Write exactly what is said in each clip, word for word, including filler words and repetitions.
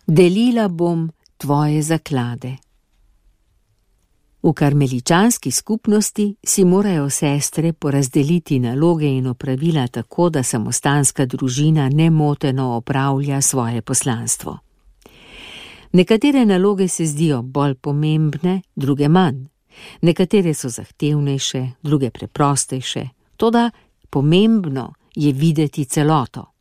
delila bom tvoje zaklade. V karmeličanski skupnosti si morajo sestre porazdeliti naloge in opravila tako, da samostanska družina nemoteno opravlja svoje poslanstvo. Nekatere naloge se zdijo bolj pomembne, druge manj. Nekatere so zahtevnejše, druge preprostejše, toda pomembno je videti celoto.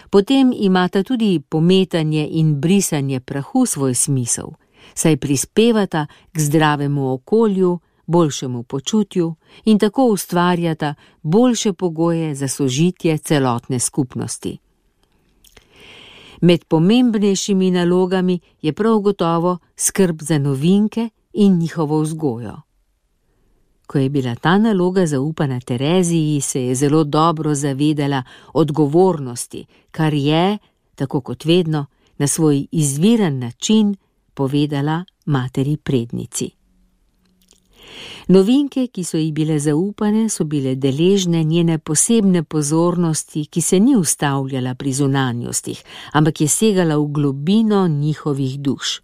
Potem imata tudi pometanje in brisanje prahu svoj smisel, saj prispevata k zdravemu okolju, boljšemu počutju in tako ustvarjata boljše pogoje za sožitje celotne skupnosti. Med pomembnejšimi nalogami je prav gotovo skrb za novinke in njihovo vzgojo. Ko je bila ta naloga zaupana Tereziji, se je zelo dobro zavedala odgovornosti, kar je, tako kot vedno, na svoj izviren način povedala materi prednici. Novinke, ki so ji bile zaupane, so bile deležne njene posebne pozornosti, ki se ni ustavljala pri zunanjostih, ampak je segala v globino njihovih duš.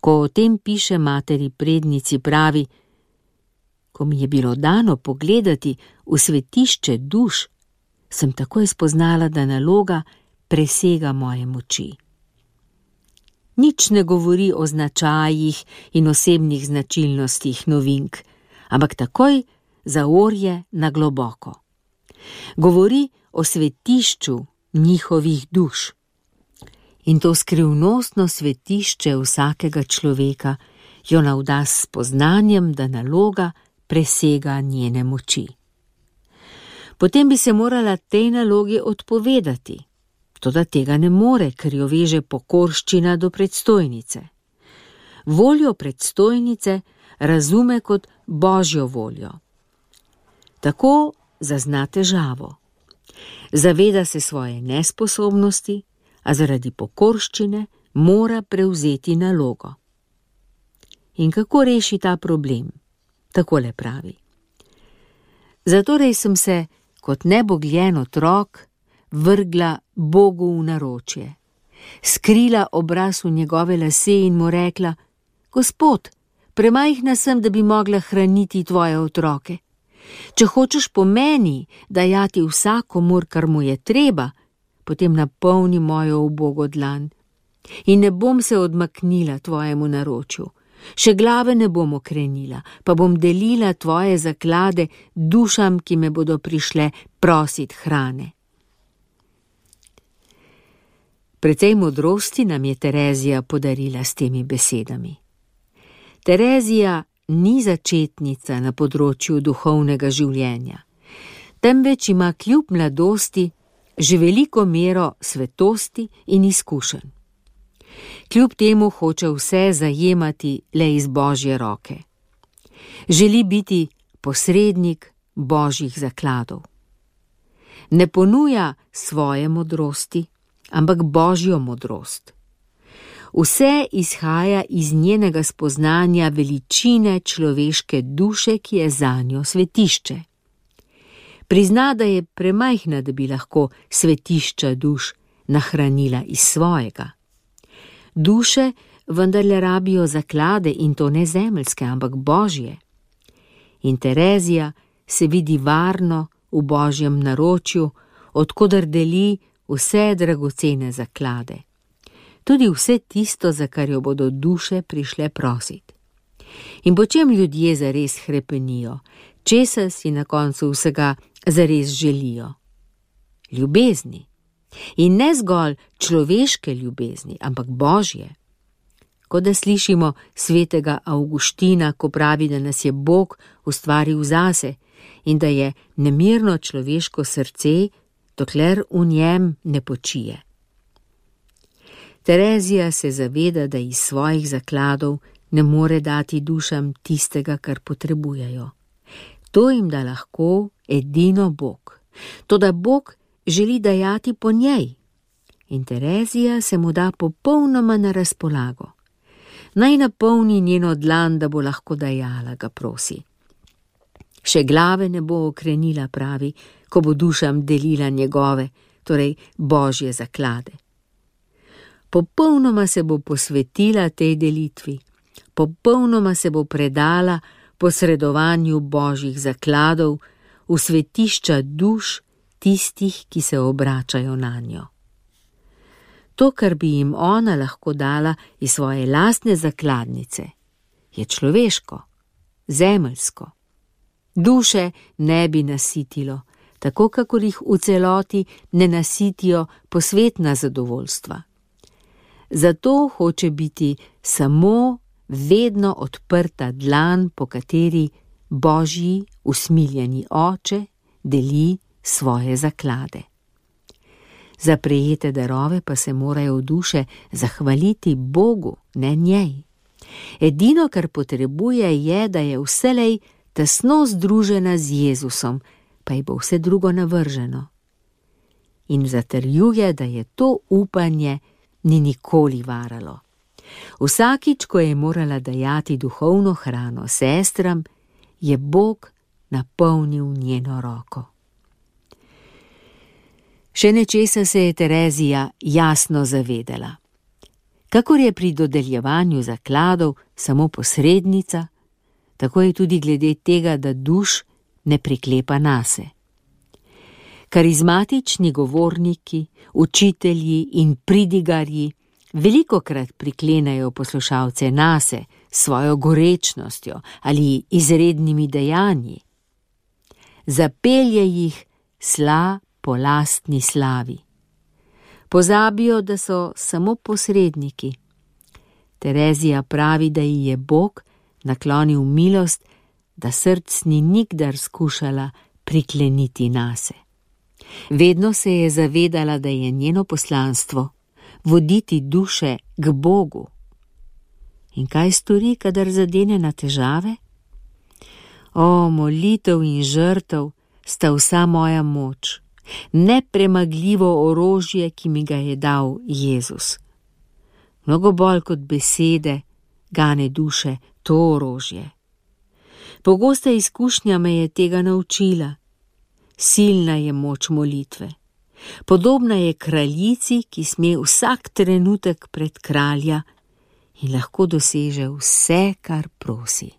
Ko o tem piše materi prednici, pravi: ko mi je bilo dano pogledati v svetišče duš, sem takoj spoznala, da naloga presega moje moči. Nič ne govori o značajih in osebnih značilnostih novink, ampak takoj zaorje na globoko. Govori o svetišču njihovih duš. In to skrivnostno svetišče vsakega človeka jo navda s spoznanjem, da naloga presega njene moči. Potem bi se morala tej nalogi odpovedati, toda tega ne more, ker jo veže pokorščina do predstojnice. Voljo predstojnice razume kot Božjo voljo. Tako zazna težavo. Zaveda se svoje nesposobnosti, a zaradi pokorščine mora prevzeti nalogo. In kako reši ta problem? Takole pravi: zatorej sem se kot nebogljen otrok vrgla Bogu v naročje, skrila obraz v njegove lase in mu rekla: Gospod, premajhna sem, da bi mogla hraniti tvoje otroke. Če hočeš po meni dajati vsakomur, kar mu je treba, potem napolni mojo ubogo dlan in ne bom se odmaknila tvojemu naročju. Še glave ne bom okrenila, pa bom delila tvoje zaklade dušam, ki me bodo prišle prosit hrane. Precej modrosti nam je Terezija podarila s temi besedami. Terezija ni začetnica na področju duhovnega življenja, temveč ima kljub mladosti že veliko mero svetosti in izkušenj. Kljub temu hoče vse zajemati le iz Božje roke. Želi biti posrednik Božjih zakladov. Ne ponuja svoje modrosti, ampak Božjo modrost. Vse izhaja iz njenega spoznanja veličine človeške duše, ki je zanjo svetišče. Prizna, da je premajhna, da bi lahko svetišča duš nahranila iz svojega. Duše vendarle rabijo zaklade, in to ne zemeljske, ampak Božje. In Terezija se vidi varno v Božjem naročju, odkoder deli vse dragocene zaklade. Tudi vse tisto, za kar jo bodo duše prišle prosit. In po čem ljudje zares hrepenijo, česa si na koncu vsega zares želijo? Ljubezni. In ne zgolj človeške ljubezni, ampak Božje. Ko da slišimo svetega Avguština, ko pravi, da nas je Bog ustvaril zase in da je nemirno človeško srce, dokler v njem ne počije. Terezija se zaveda, da iz svojih zakladov ne more dati dušam tistega, kar potrebujejo. To jim da lahko edino Bog. Toda Bog želi dajati po njej. In Terezija se mu da popolnoma na razpolago. Naj napolni njeno dlan, da bo lahko dajala, ga prosi. Še glave ne bo okrenila, pravi, ko bo dušam delila njegove, torej Božje zaklade. Popolnoma se bo posvetila tej delitvi, popolnoma se bo predala posredovanju božjih zakladov v svetišča duš tistih, ki se obračajo nanjo. To, kar bi jim ona lahko dala iz svoje lastne zakladnice, je človeško, zemeljsko. Duše ne bi nasitilo, tako kakor jih v celoti ne nasitijo posvetna zadovoljstva. Zato hoče biti samo vedno odprta dlan, po kateri Božji usmiljeni oče deli svoje zaklade. Za prejete darove pa se morajo duše zahvaliti Bogu, ne njej. Edino, kar potrebuje, je, da je vselej tesno združena z Jezusom, pa ji bo vse drugo navrženo. In zatrjuje, da je to upanje ni nikoli varalo. Vsakič, ko je morala dajati duhovno hrano sestram, je Bog napolnil njeno roko. Še nečesa se je Terezija jasno zavedala. Kakor je pri dodeljevanju zakladov samo posrednica, tako je tudi glede tega, da duš ne priklepa nase. Karizmatični govorniki, učitelji in pridigarji velikokrat priklenejo poslušalce nase s svojo gorečnostjo ali izrednimi dejanji. Zapelje jih sla po lastni slavi. Pozabijo, da so samo posredniki. Terezija pravi, da ji je Bog naklonil milost, da src ni nikdar skušala prikleniti nase. Vedno se je zavedala, da je njeno poslanstvo voditi duše k Bogu. In kaj stori, kadar zadene na težave? O, molitev in žrtev sta vsa moja moč, nepremagljivo orožje, ki mi ga je dal Jezus. Mnogo bolj kot besede gane duše to orožje. Pogosta izkušnja me je tega naučila. Silna je moč molitve. Podobna je kraljici, ki sme vsak trenutek pred kralja in lahko doseže vse, kar prosi.